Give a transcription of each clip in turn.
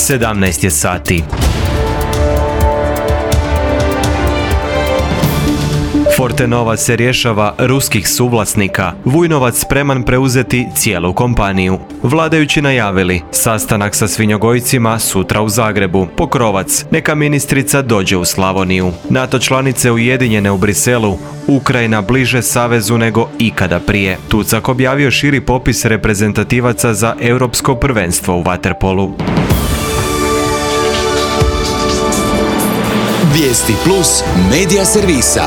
17 je sati. Fortenova se rješava ruskih suvlasnika. Vujnovac spreman preuzeti cijelu kompaniju. Vladajući najavili sastanak sa svinjogojcima sutra u Zagrebu. Pokrovac, neka ministrica dođe u Slavoniju. NATO članice ujedinjene u Briselu. Ukrajina bliže savezu nego ikada prije. Tucak objavio širi popis reprezentativaca za europsko prvenstvo u vaterpolu. Vijesti plus medija servisa.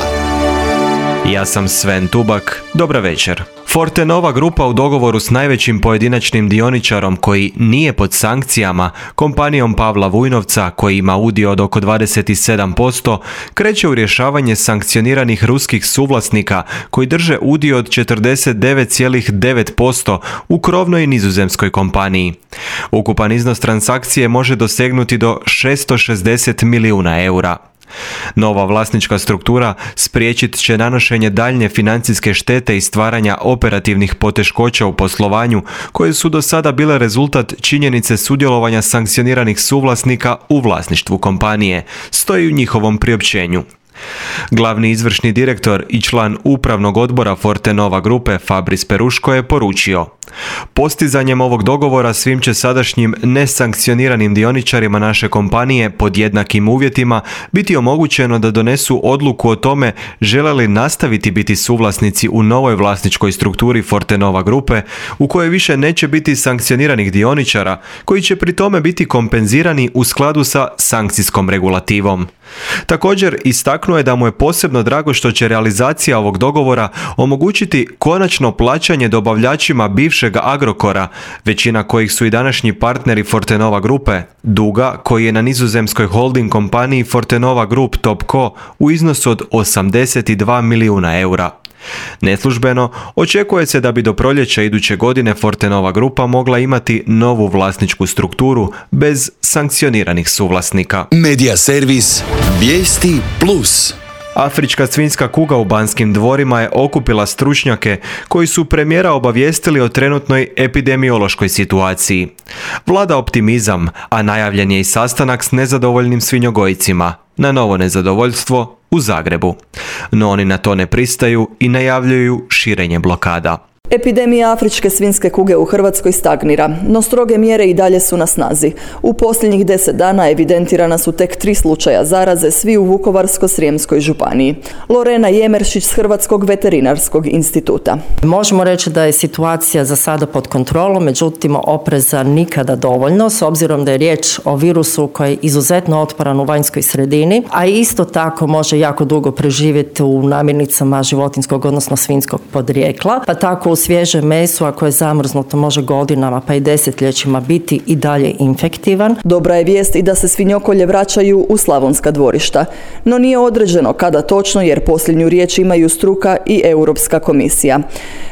Ja sam Sven Tubak, dobra večer. Fortenova grupa u dogovoru s najvećim pojedinačnim dioničarom koji nije pod sankcijama, kompanijom Pavla Vujnovca koji ima udio od oko 27%, kreće u rješavanje sankcioniranih ruskih suvlasnika koji drže udio od 49,9% u krovnoj nizozemskoj kompaniji. Ukupan iznos transakcije može dosegnuti do 660 milijuna eura. Nova vlasnička struktura spriječit će nanošenje daljnje financijske štete i stvaranja operativnih poteškoća u poslovanju koje su do sada bile rezultat činjenice sudjelovanja sankcioniranih suvlasnika u vlasništvu kompanije, stoji u njihovom priopćenju. Glavni izvršni direktor i član upravnog odbora Fortenova grupe Fabris Peruško je poručio: postizanjem ovog dogovora svim će sadašnjim nesankcioniranim dioničarima naše kompanije pod jednakim uvjetima biti omogućeno da donesu odluku o tome žele li nastaviti biti suvlasnici u novoj vlasničkoj strukturi Fortenova grupe u kojoj više neće biti sankcioniranih dioničara koji će pri tome biti kompenzirani u skladu sa sankcijskom regulativom. Također istaknuo je da mu je posebno drago što će realizacija ovog dogovora omogućiti konačno plaćanje dobavljačima bivšeg Agrokora, većina kojih su i današnji partneri Fortenova grupe, duga koji je na nizozemskoj holding kompaniji Fortenova Group Topco u iznosu od 82 milijuna eura. Neslužbeno, očekuje se da bi do proljeća iduće godine Fortenova grupa mogla imati novu vlasničku strukturu bez sankcioniranih suvlasnika. Medija servis Vijesti plus. Afrička svinjska kuga u Banskim dvorima je okupila stručnjake koji su premijera obavijestili o trenutnoj epidemiološkoj situaciji. Vlada optimizam, a najavljen je i sastanak s nezadovoljnim svinjogojcima. Na novo nezadovoljstvo u Zagrebu. No oni na to ne pristaju i najavljuju širenje blokada. Epidemija afričke svinjske kuge u Hrvatskoj stagnira, no stroge mjere i dalje su na snazi. U posljednjih 10 dana evidentirana su tek 3 slučaja zaraze, svi u Vukovarsko-srijemskoj županiji. Lorena Jemeršić s Hrvatskog veterinarskog instituta. Možemo reći da je situacija za sada pod kontrolom, međutim opreza nikada dovoljno, s obzirom da je riječ o virusu koji je izuzetno otporan u vanjskoj sredini, a isto tako može jako dugo preživjeti u namirnicama životinjskog, odnosno svinjskog podrijekla, pa tako u svježe meso, ako je zamrznuto, može godinama pa i desetljećima biti i dalje infektivan. Dobra je vijest i da se svinjokolje vraćaju u slavonska dvorišta, no nije određeno kada točno jer posljednju riječ imaju struka i Europska komisija.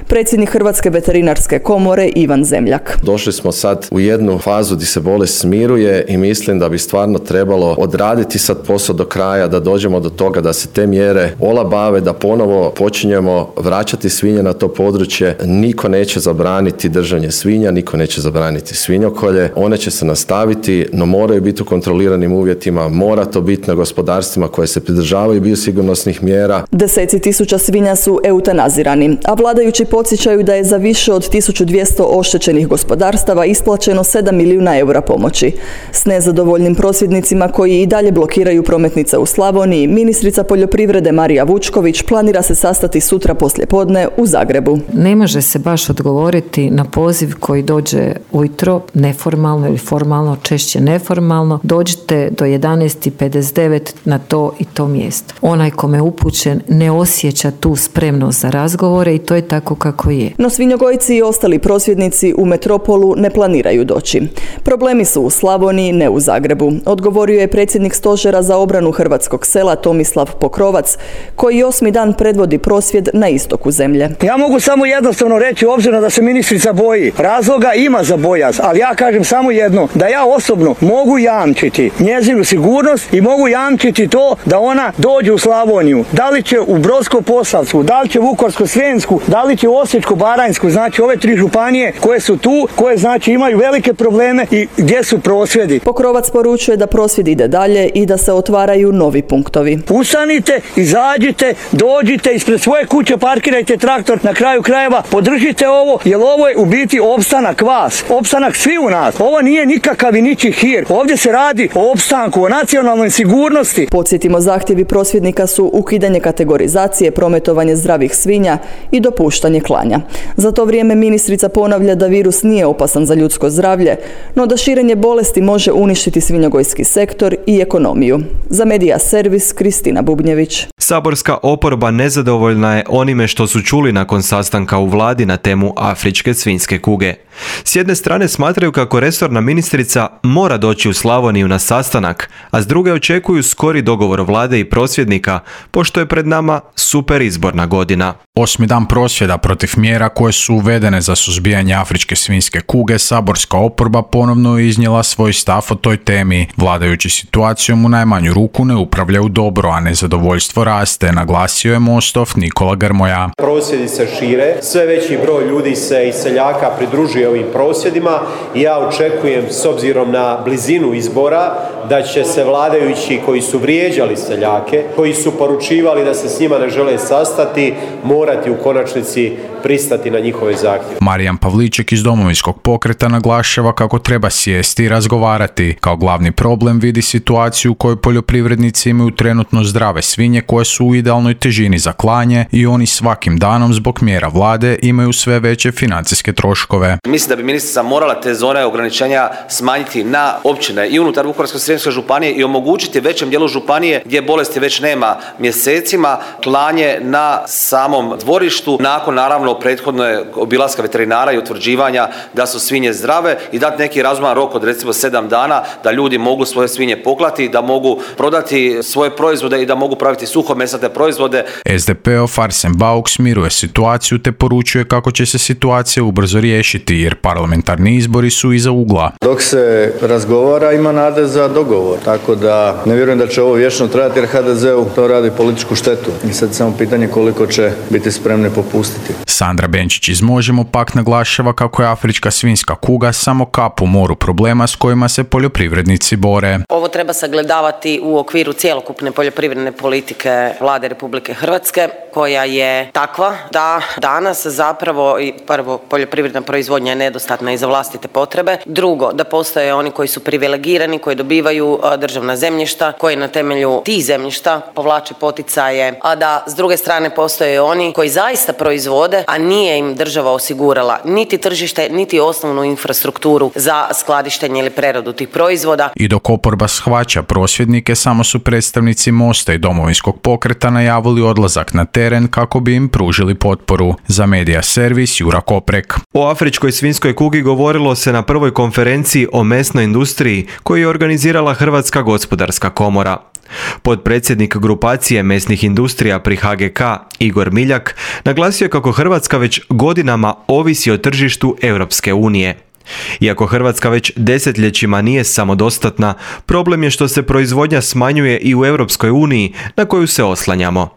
Predsjednik Hrvatske veterinarske komore Ivan Zemljak. Došli smo sad u jednu fazu gdje se bolest smiruje i mislim da bi stvarno trebalo odraditi sad posao do kraja, da dođemo do toga da se te mjere olabave, da ponovo počinjemo vraćati svinje na to područje. Niko neće zabraniti držanje svinja, niko neće zabraniti svinjokolje. One će se nastaviti, no moraju biti u kontroliranim uvjetima, mora to biti na gospodarstvima koje se pridržavaju biosigurnosnih mjera. Deseci tisuća svinja su eutanazirani, a vladajući podsjećaju da je za više od 1200 oštećenih gospodarstava isplaćeno 7 milijuna eura pomoći. S nezadovoljnim prosvjednicima koji i dalje blokiraju prometnice u Slavoniji, ministrica poljoprivrede Marija Vučković planira se sastati sutra poslijepodne u Zagrebu. Ne može se baš odgovoriti na poziv koji dođe ujutro, neformalno ili formalno, češće neformalno. Dođite do 11:59 na to i to mjesto. Onaj kome je upućen ne osjeća tu spremnost za razgovore i to je tako kako je. No svinjogojci i ostali prosvjednici u metropolu ne planiraju doći. Problemi su u Slavoniji, ne u Zagrebu, odgovorio je predsjednik Stožera za obranu hrvatskog sela Tomislav Pokrovac, koji 8. dan predvodi prosvjed na istoku zemlje. Ja mogu samo jedno jednostavno reći, obzirom da se ministrica boji. Razloga ima za bojaz, ali ja kažem samo jedno, da ja osobno mogu jamčiti njezinu sigurnost i mogu jamčiti to da ona dođe u Slavoniju. Da li će u Brodsko-posavsku, da li će u Vukovarsko-srijemsku, da li će u Osječko-baranjsku, znači ove 3 županije koje su tu, koje znači imaju velike probleme i gdje su prosvjedi. Pokrovac poručuje da prosvjed ide dalje i da se otvaraju novi punktovi. Ustanite, izađite, dođite, ispred svoje kuće parkirajte traktor, na kraju krajeva podržite ovo, jer ovo je u biti opstanak vas, opstanak svi u nas. Ovo nije nikakav i ničiji hir. Ovdje se radi o opstanku, o nacionalnoj sigurnosti. Podsjetimo, zahtjevi prosvjednika su ukidanje kategorizacije, prometovanje zdravih svinja i dopuštanje klanja. Za to vrijeme ministrica ponavlja da virus nije opasan za ljudsko zdravlje, no da širenje bolesti može uništiti svinjogojski sektor i ekonomiju. Za Medija Servis, Kristina Bubnjević. Saborska oporba nezadovoljna je onime što su čuli nakon sastanka u vladi na temu afričke svinjske kuge. S jedne strane smatraju kako resorna ministrica mora doći u Slavoniju na sastanak, a s druge očekuju skori dogovor vlade i prosvjednika, pošto je pred nama super izborna godina. 8. dan prosvjeda protiv mjera koje su uvedene za suzbijanje afričke svinjske kuge, saborska oporba ponovno je iznijela svoj stav o toj temi. Vladajući situacijom u najmanju ruku ne upravljaju dobro, a nezadovoljstvo raste, naglasio je Mostov Nikola Grmoja. Prosvjedi se šire, sve veći broj ljudi se iz seljaka pridružuje ovim prosvjedima i ja očekujem, s obzirom na blizinu izbora, da će se vladajući koji su vrijeđali seljake, koji su poručivali da se s njima ne žele sastati, morati u konačnici pristati na njihove zahtjeve. Marijan Pavliček iz Domovinskog pokreta naglašava kako treba sjesti i razgovarati. Kao glavni problem vidi situaciju u kojoj poljoprivrednici imaju trenutno zdrave svinje koje su u idealnoj težini za klanje i oni svakim danom zbog mjera vlade imaju sve veće financijske troškove. Mislim da bi ministrica morala te zone ograničenja smanjiti na općine i unutar Vukovarsko-srijemske županije i omogućiti većem dijelu županije gdje bolesti već nema mjesecima klanje na samom dvorištu nakon naravno prethodne obilaska veterinara i utvrđivanja da su svinje zdrave i dati neki razuman rok od recimo 7 dana da ljudi mogu svoje svinje poklati, da mogu prodati svoje proizvode i da mogu praviti suhomesnate proizvode. SDP-ov Arsen Bauk smiruje situaciju te poručuje kako će se situacija ubrzo riješiti jer parlamentarni izbori su iza ugla. Dok se razgovara ima nade za dogovor, tako da ne vjerujem da će ovo vječno trajati jer HDZ-u to radi političku štetu i sad samo pitanje koliko će biti spremni popustiti. Sandra Benčić iz Možemo pak naglašava kako je afrička svinjska kuga samo kap u moru problema s kojima se poljoprivrednici bore. Ovo treba sagledavati u okviru cjelokupne poljoprivredne politike Vlade Republike Hrvatske koja je takva da danas zapravo prvo poljoprivredna proizvodnja je nedostatna i za vlastite potrebe. Drugo, da postoje oni koji su privilegirani, koji dobivaju državna zemljišta, koji na temelju tih zemljišta povlače poticaje, a da s druge strane postoje oni koji zaista proizvode, a nije im država osigurala niti tržište, niti osnovnu infrastrukturu za skladištenje ili preradu tih proizvoda. I dok oporba shvaća prosvjednike, samo su predstavnici Mosta i Domovinskog pokreta najavili odlazak na teren kako bi im pružili potporu. Za Medija Servis, Jura Koprek. O afričkoj svinjskoj kugi govorilo se na prvoj konferenciji o mesnoj industriji koju je organizirala Hrvatska gospodarska komora. Potpredsjednik grupacije mesnih industrija pri HGK Igor Miljak naglasio je kako Hrvatska već godinama ovisi o tržištu Europske unije. Iako Hrvatska već desetljećima nije samodostatna, problem je što se proizvodnja smanjuje i u Europskoj uniji na koju se oslanjamo.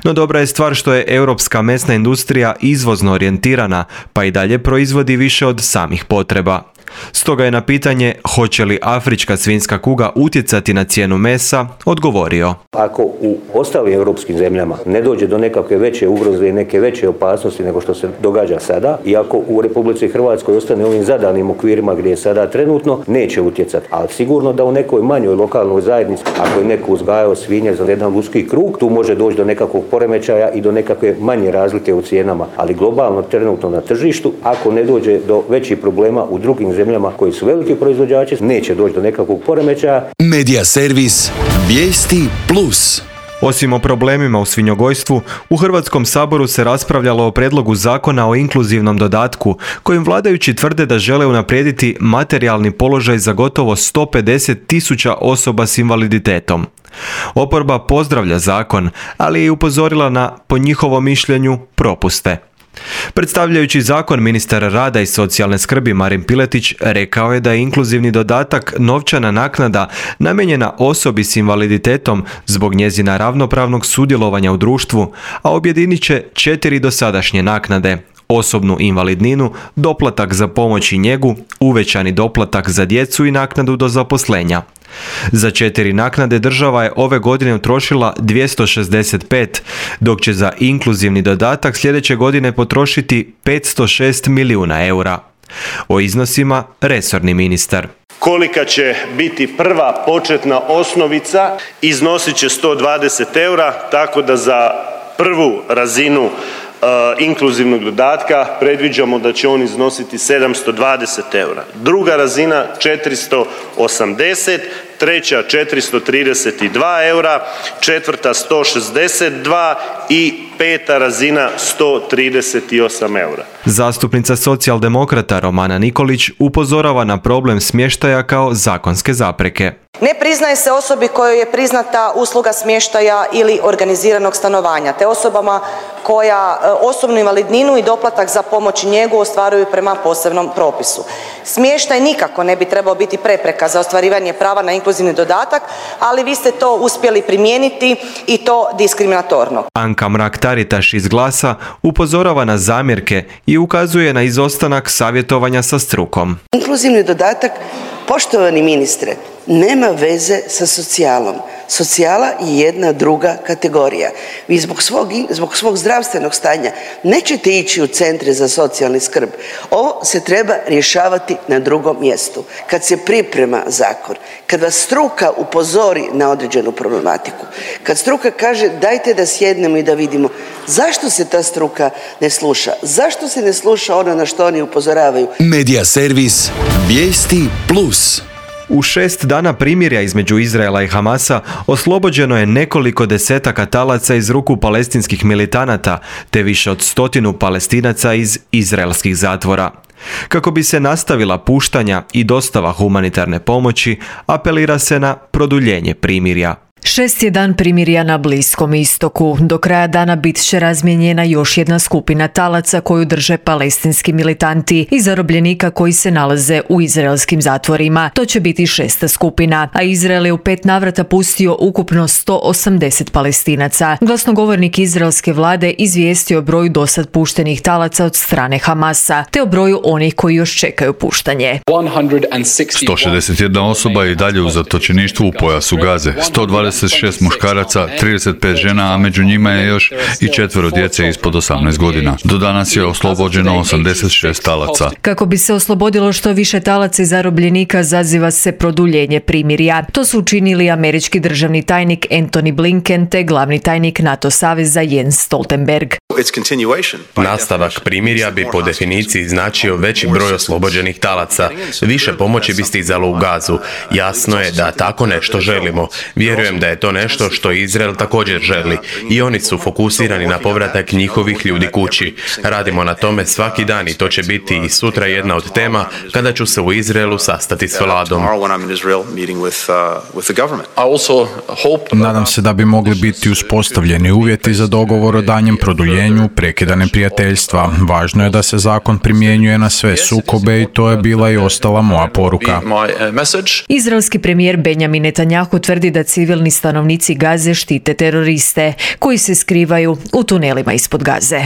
No dobra je stvar što je europska mesna industrija izvozno orijentirana, pa i dalje proizvodi više od samih potreba. Stoga je na pitanje hoće li afrička svinjska kuga utjecati na cijenu mesa odgovorio. Ako u ostalim europskim zemljama ne dođe do nekakve veće ugroze i neke veće opasnosti nego što se događa sada i ako u Republici Hrvatskoj ostane ovim zadanim okvirima gdje je sada trenutno, neće utjecati. Ali sigurno da u nekoj manjoj lokalnoj zajednici, ako je neko uzgajao svinje za jedan uski krug, tu može doći do nekakvog poremećaja i do nekakve manje razlike u cijenama. Ali globalno trenutno na tržištu, ako ne dođe do većih problema u drugim zemljama koji su veliki proizvođači, neće doći do nekakvog poremećaja. Medija servis Vijesti Plus. Osim o problemima u svinjogojstvu, u Hrvatskom saboru se raspravljalo o prijedlogu zakona o inkluzivnom dodatku, kojim vladajući tvrde da žele unaprijediti materijalni položaj za gotovo 150.000 osoba s invaliditetom. Oporba pozdravlja zakon, ali je upozorila na, po njihovom mišljenju, propuste. Predstavljajući zakon, ministar rada i socijalne skrbi Marin Piletić rekao je da je inkluzivni dodatak novčana naknada namijenjena osobi s invaliditetom zbog njezina ravnopravnog sudjelovanja u društvu, a objedinit će 4 dosadašnje naknade: osobnu invalidninu, doplatak za pomoć i njegu, uvećani doplatak za djecu i naknadu do zaposlenja. Za 4 naknade država je ove godine utrošila 265, dok će za inkluzivni dodatak sljedeće godine potrošiti 506 milijuna eura. O iznosima resorni ministar. Kolika će biti prva početna osnovica, iznosit će 120 eura, tako da za prvu razinu inkluzivnog dodatka predviđamo da će on iznositi 720 eura. Druga razina 480, treća 432 eura, četvrta 162 i peta razina 138 eura. Zastupnica socijaldemokrata Romana Nikolić upozorava na problem smještaja kao zakonske zapreke. Ne priznaje se osobi kojoj je priznata usluga smještaja ili organiziranog stanovanja, te osobama koja osobnu invalidninu i doplatak za pomoć i njegu ostvaruju prema posebnom propisu. Smještaj nikako ne bi trebao biti prepreka za ostvarivanje prava na inkluzivni dodatak, ali vi ste to uspjeli primijeniti i to diskriminatorno. Anka Mrak-Taritaš iz Glasa upozorava na zamjerke i ukazuje na izostanak savjetovanja sa strukom. Inkluzivni dodatak, poštovani ministre, nema veze sa socijalom. Socijala je jedna druga kategorija. Vi zbog svog zdravstvenog stanja nećete ići u centre za socijalni skrb. Ovo se treba rješavati na drugom mjestu. Kad se priprema zakon, kad vas struka upozori na određenu problematiku, kad struka kaže dajte da sjednemo i da vidimo zašto se ta struka ne sluša, zašto se ne sluša ono na što oni upozoravaju. Medija servis Vijesti Plus. U 6 dana primirja između Izraela i Hamasa oslobođeno je nekoliko desetaka talaca iz ruku palestinskih militanata, te više od 100 Palestinaca iz izraelskih zatvora. Kako bi se nastavila puštanja i dostava humanitarne pomoći, apelira se na produljenje primirja. 6 je dan primirja na Bliskom istoku. Do kraja dana bit će razmijenjena još jedna skupina talaca koju drže palestinski militanti i zarobljenika koji se nalaze u izraelskim zatvorima. To će biti 6. skupina, a Izrael je u 5 navrata pustio ukupno 180 Palestinaca. Glasnogovornik izraelske vlade izvijestio o broju dosad puštenih talaca od strane Hamasa, te o broju onih koji još čekaju puštanje. 161 osoba je i dalje u zatočeništvu u pojasu Gaze. 126 muškaraca, 35 žena, a među njima je još i 4 djece ispod 18 godina. Do danas je oslobođeno 86 talaca. Kako bi se oslobodilo što više talaca i zarobljenika, zaziva se produljenje primirja. To su učinili američki državni tajnik Antony Blinken te glavni tajnik NATO saveza Jens Stoltenberg. Nastavak primirja bi po definiciji značio veći broj oslobođenih talaca. Više pomoći bi stizalo u Gazu. Jasno je da tako nešto želimo. Vjerujem da je to nešto što Izrael također želi. I oni su fokusirani na povratak njihovih ljudi kući. Radimo na tome svaki dan i to će biti i sutra jedna od tema kada ću se u Izraelu sastati s vladom. Nadam se da bi mogli biti uspostavljeni uvjeti za dogovor o danjem produljenju prekida neprijateljstva. Važno je da se zakon primjenjuje na sve sukobe i to je bila i ostala moja poruka. Izraelski premijer Benjamin Netanjahu tvrdi da civilni stanovnici Gaze štite teroriste koji se skrivaju u tunelima ispod Gaze.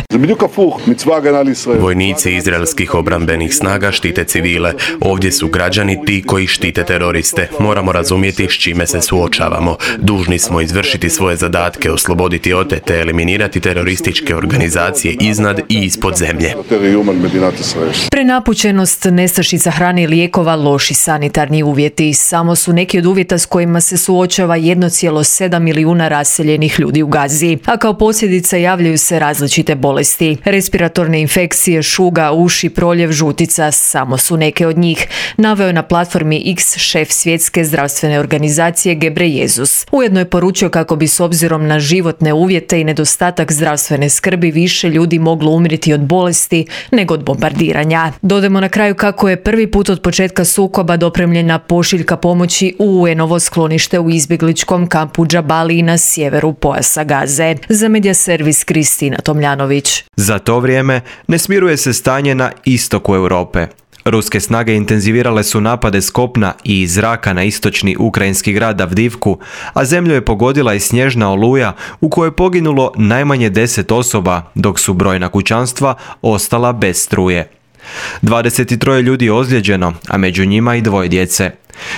Vojnici izraelskih obrambenih snaga štite civile. Ovdje su građani ti koji štite teroriste. Moramo razumjeti s čime se suočavamo. Dužni smo izvršiti svoje zadatke, osloboditi otete, eliminirati terorističke organizacije iznad i ispod zemlje. Prenapučenost, nestašica hrane i lijekova, loši sanitarni uvjeti samo su neki od uvjeta s kojima se suočava 1,7 milijuna raseljenih ljudi u Gazi, a kao posljedica javljaju se različite bolesti. Respiratorne infekcije, šuga, uši, proljev, žutica samo su neke od njih, naveo je na platformi X šef svjetske zdravstvene organizacije Gebreyesus. Ujedno je poručio kako bi s obzirom na životne uvjete i nedostatak zdravstvene skrbi više ljudi moglo umriti od bolesti nego od bombardiranja. Dodajmo na kraju kako je prvi put od početka sukoba dopremljena pošiljka pomoći u UN-ovo sklonište u izbjegličkom izraelskom kampu Džabali na sjeveru pojasa Gaze. Za medija servis Kristina Tomljanović. Za to vrijeme ne smiruje se stanje na istoku Europe. Ruske snage intenzivirale su napade s kopna i iz zraka na istočni ukrajinski grad Avdivku, a zemlju je pogodila i snježna oluja u kojoj je poginulo najmanje 10 osoba, dok su brojna kućanstva ostala bez struje. 23 ljudi je ozlijeđeno, a među njima i 2 djece.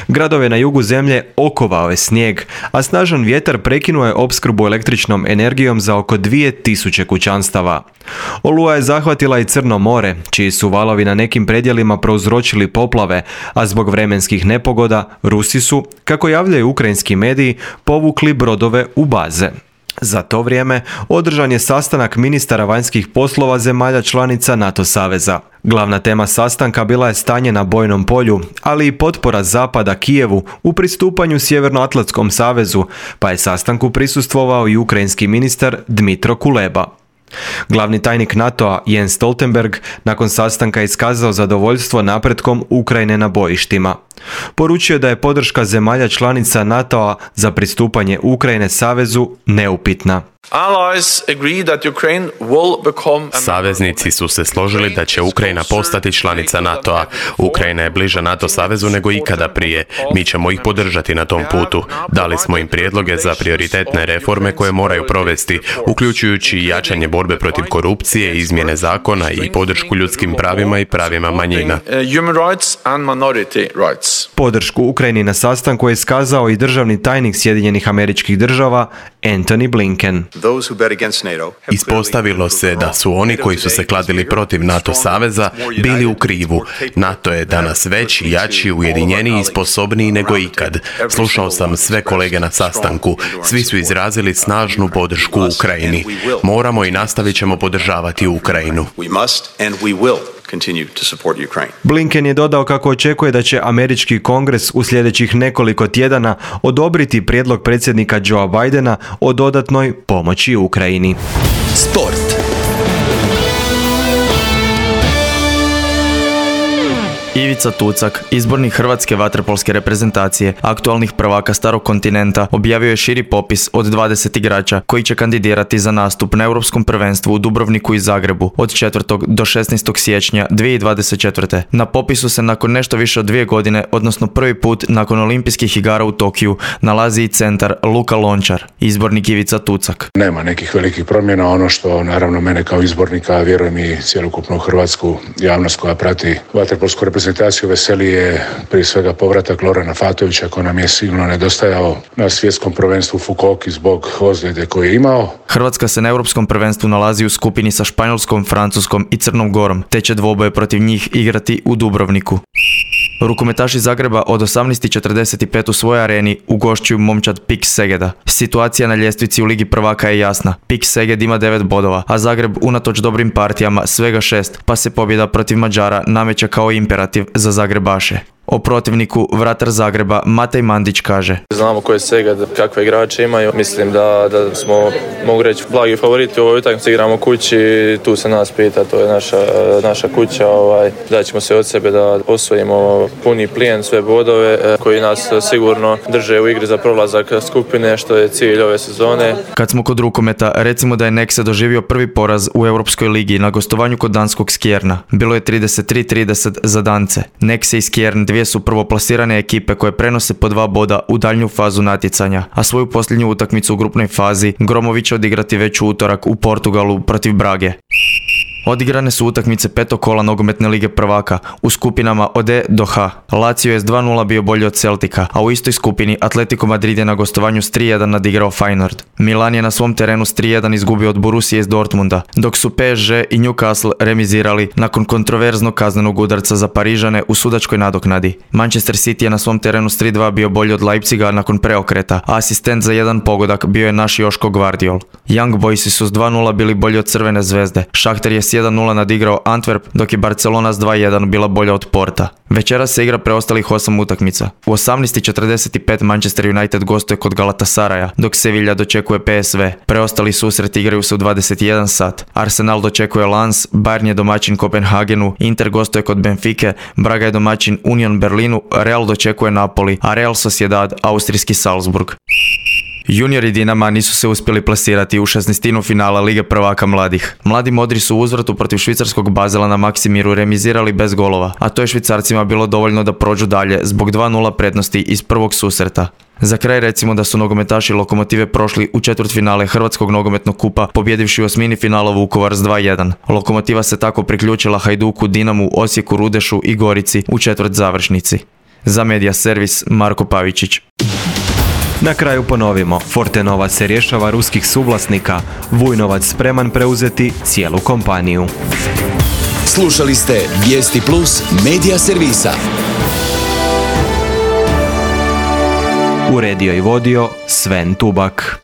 Gradove na jugu zemlje okovao je snijeg, a snažan vjetar prekinuo je opskrbu električnom energijom za oko 2000 kućanstava. Oluja je zahvatila i Crno more, čiji su valovi na nekim predjelima prouzročili poplave, a zbog vremenskih nepogoda Rusi su, kako javljaju ukrajinski mediji, povukli brodove u baze. Za to vrijeme održan je sastanak ministara vanjskih poslova zemalja članica NATO saveza. Glavna tema sastanka bila je stanje na bojnom polju, ali i potpora Zapada Kijevu u pristupanju Sjevernoatlantskom savezu, pa je sastanku prisustvovao i ukrajinski ministar Dmitro Kuleba. Glavni tajnik NATO-a Jens Stoltenberg nakon sastanka iskazao zadovoljstvo napretkom Ukrajine na bojištima. Poručio da je podrška zemalja članica NATO-a za pristupanje Ukrajine savezu neupitna. Saveznici su se složili da će Ukrajina postati članica NATO-a. Ukrajina je bliža NATO savezu nego ikada prije. Mi ćemo ih podržati na tom putu. Dali smo im prijedloge za prioritetne reforme koje moraju provesti, uključujući i jačanje borbe protiv korupcije, izmjene zakona i podršku ljudskim pravima i pravima manjina. Podršku Ukrajini na sastanku je iskazao i državni tajnik Sjedinjenih Američkih Država Antony Blinken. Ispostavilo se da su oni koji su se kladili protiv NATO saveza bili u krivu. NATO je danas veći, jači, ujedinjeniji i sposobniji nego ikad. Slušao sam sve kolege na sastanku. Svi su izrazili snažnu podršku Ukrajini. Moramo i nastavit ćemo podržavati Ukrajinu. Blinken je dodao kako očekuje da će američki kongres u sljedećih nekoliko tjedana odobriti prijedlog predsjednika Joea Bidena o dodatnoj pomoći Ukrajini. Sport. Ivica Tucak, izbornik hrvatske vaterpolske reprezentacije, aktualnih prvaka starog kontinenta, objavio je širi popis od 20 igrača koji će kandidirati za nastup na Europskom prvenstvu u Dubrovniku i Zagrebu od 4. do 16. siječnja 2024. Na popisu se nakon nešto više od 2 godine, odnosno prvi put nakon olimpijskih igara u Tokiju, nalazi i centar Luka Lončar, izbornik Ivica Tucak. Nema nekih velikih promjena, ono što naravno mene kao izbornika, vjerujem i cjelokupnu hrvatsku javnost koja prati vaterpolsku reprezentaciju veseli je prije svega povratak Lorana Fatovića koji nam je sigurno nedostajao na svjetskom prvenstvu u Fukuoki zbog ozljede koju je imao. Hrvatska se na Europskom prvenstvu nalazi u skupini sa Španjolskom, Francuskom i Crnom Gorom, te će dvoboje protiv njih igrati u Dubrovniku. Rukometaši Zagreba od 18:45 u svojoj areni ugošćuju momčad PIK Segeda. Situacija na ljestvici u Ligi prvaka je jasna. PIK Seged ima 9 bodova, a Zagreb unatoč dobrim partijama svega 6, pa se pobjeda protiv Mađara nameće kao imperativ za Zagrebaše. O protivniku vratar Zagreba Matej Mandić kaže: Znamo ko je Seged, kakve igrače imaju. Mislim da smo, mogu reći, blagi favoriti u ovoj utakmici. Igramo kući, tu se nas pita, to je naša kuća. Daćemo se od sebe da osvojimo puni plijen, sve bodove koji nas sigurno drže u igri za prolazak skupine, što je cilj ove sezone. Kad smo kod rukometa, recimo da je Nexe doživio prvi poraz u Europskoj ligi na gostovanju kod danskog Skjerna. Bilo je 33-30 za Dance. Nexe i Skjern, dvije su prvoplasirane ekipe koje prenose po 2 boda u daljnju fazu natjecanja, a svoju posljednju utakmicu u grupnoj fazi Gromović će odigrati već u utorak u Portugalu protiv Brage. Odigrane su utakmice 5. kola nogometne lige prvaka u skupinama od E do H. Lazio je s 2:0 bio bolji od Celtica, a u istoj skupini Atletico Madrid je na gostovanju s 3:1 nadigrao Feyenoord. Milan je na svom terenu s 3:1 izgubio od Borussije iz Dortmunda, dok su PSG i Newcastle remizirali nakon kontroverznog kaznenog udarca za Parižane u sudačkoj nadoknadi. Manchester City je na svom terenu s 3:2 bio bolji od Leipziga nakon preokreta, a asistent za jedan pogodak bio je naš Joško Gvardiol. Young Boysi su s 2:0 bili bolji od Crvene zvezde. Šahter je s 1:0 nadigrao Antwerp, dok je Barcelona s 2:1 bila bolja od Porta. Večeras se igra preostalih 8 utakmica. U 18:45 Manchester United gostuje kod Galatasaraja, dok Sevilla dočekuje PSV. Preostali susret igraju se u 21 sat. Arsenal dočekuje Lens, Bayern je domaćin Kopenhagenu, Inter gostuje kod Benfike, Braga je domaćin Union Berlinu, Real dočekuje Napoli, a Real Sociedad austrijski Salzburg. Juniori Dinama nisu se uspjeli plasirati u 16. finala Lige prvaka mladih. Mladi modri su u uzvratu protiv švicarskog Bazela na Maksimiru remizirali bez golova, a to je Švicarcima bilo dovoljno da prođu dalje zbog 2:0 prednosti iz prvog susreta. Za kraj recimo da su nogometaši Lokomotive prošli u četvrtfinale Hrvatskog nogometnog kupa pobjedivši u osmini finala Vukovar s 2:1. Lokomotiva se tako priključila Hajduku, Dinamu, Osijeku, Rudešu i Gorici u četvrt završnici. Za Media Servis Marko Pavičić. Na kraju ponovimo, Fortenova se rješava ruskih suvlasnika, Vujnovac spreman preuzeti cijelu kompaniju. Slušali ste Vijesti Plus Media Servisa. Uredio i vodio Sven Tubak.